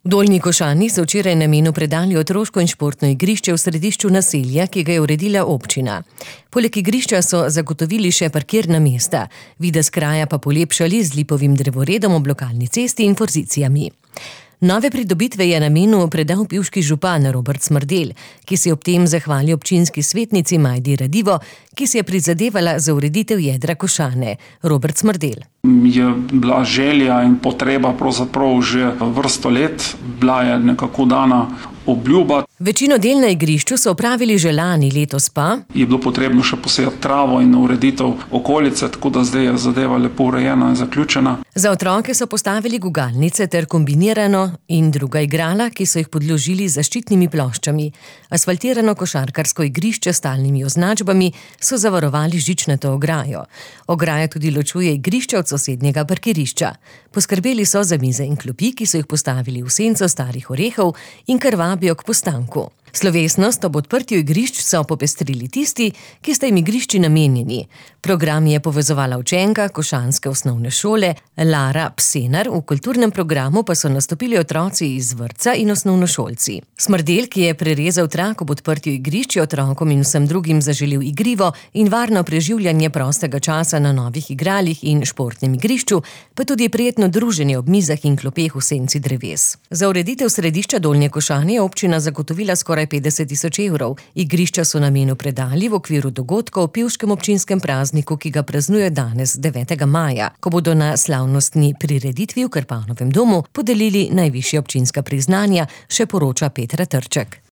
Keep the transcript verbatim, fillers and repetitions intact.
V Dolnji Košani so včeraj namenu predali otroško in športno igrišče v središču naselja, ki ga je uredila občina. Poleg igrišča so zagotovili še parkirna mesta, videz kraja pa polepšali z lipovim drevoredom ob lokalni cesti in forzicijami. Nove pridobitve je namenu predal pivški župan Robert Smrdelj, ki se je ob tem zahvalil občinski svetnici Majdi Radivo, ki si je prizadevala za ureditev jedra Košane. Robert Smrdelj. Je bila želja in potreba pravzaprav že vrsto let, bila je nekako dana obljuba. Večino del na igrišču so opravili že lani, letos pa je bilo potrebno še posejati travo in ureditev okolice, tako da zdaj je zadeva lepo urejena in zaključena. Za otroke so postavili gugalnice ter kombinirano in druga igrala, ki so jih podložili z zaščitnimi ploščami. Asfaltirano košarkarsko igrišče s stalnimi označbami so zavarovali z žičnato ograjo. Ograja tudi ločuje igrišče od sosednjega parkirišča. Poskrbeli so za mize in klopi, ki so jih postavili v senco starih orehov in kar vabijo k postanku. Slovesnost ob odprtju igrišč so popestrili tisti, ki sta jim igrišči namenjeni. Program je povezovala učenka košanske osnovne šole Lara Psenar, v kulturnem programu pa so nastopili otroci iz vrtca in osnovnošolci. Smrdelj, ki je prerezal trak ob odprtju igrišč, je otrokom in vsem drugim zaželel igrivo in varno preživljanje prostega časa na novih igralih in športnem igrišču, pa tudi prijetno druženje ob mizah in klopeh v senci dreves. Za ureditev središča Dolnje Košane je občina zagotovila skoraj petdeset tisoč evrov. Igrišča so namenu predali v okviru dogodka o pivškem občinskem prazniku, ki ga praznuje danes, devetega maja, ko bodo na slavnostni prireditvi v Krpanovem domu podelili najvišja občinska priznanja, še poroča Petra Trček.